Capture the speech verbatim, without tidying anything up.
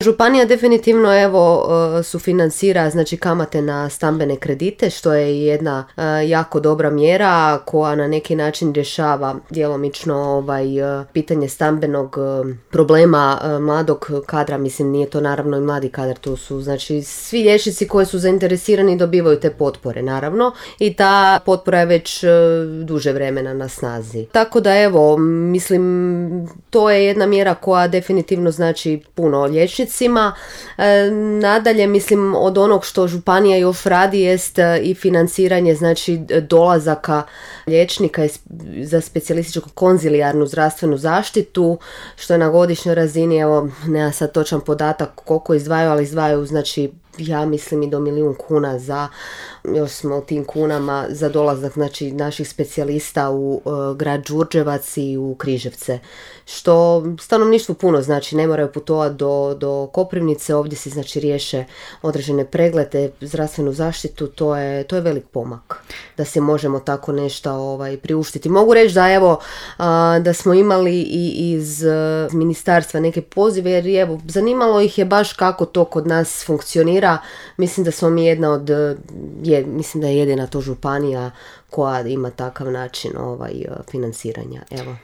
Županija definitivno evo sufinancira znači kamate na stambene kredite, što je jedna jako dobra mjera koja na neki način rješava djelomično ovaj pitanje stambenog problema mladog kadra. Mislim, nije to naravno i mladi kadar, to su znači svi liječnici koji su zainteresirani dobivaju te potpore naravno i ta potpora je već duže vremena na snazi. Tako da evo, mislim, to je jedna mjera koja definitivno znači puno liječnicima. E, nadalje, mislim, od onog što županija još radi jest i financiranje znači dolazaka liječnika za specijalističku konzilijarnu zdravstvenu zaštitu, što je na godišnjoj razini, evo, nema sad točan podatak koliko izdvajaju, ali izdvajaju znači ja mislim i do milijun kuna za, još smo u tim kunama, za dolazak znači naših specijalista u uh, grad Đurđevac i u Križevce, što stanovništvu puno znači, ne moraju putovati do, do Koprivnice, ovdje se znači riješe određene preglede, zdravstvenu zaštitu, to je, to je velik pomak da se možemo tako nešto ovaj, priuštiti. Mogu reći da evo uh, da smo imali i iz uh, ministarstva neke pozive, jer evo zanimalo ih je baš kako to kod nas funkcionira. Mislim da smo mi jedna od, je, mislim da je jedina to županija koja ima takav način ovaj, financiranja. Evo.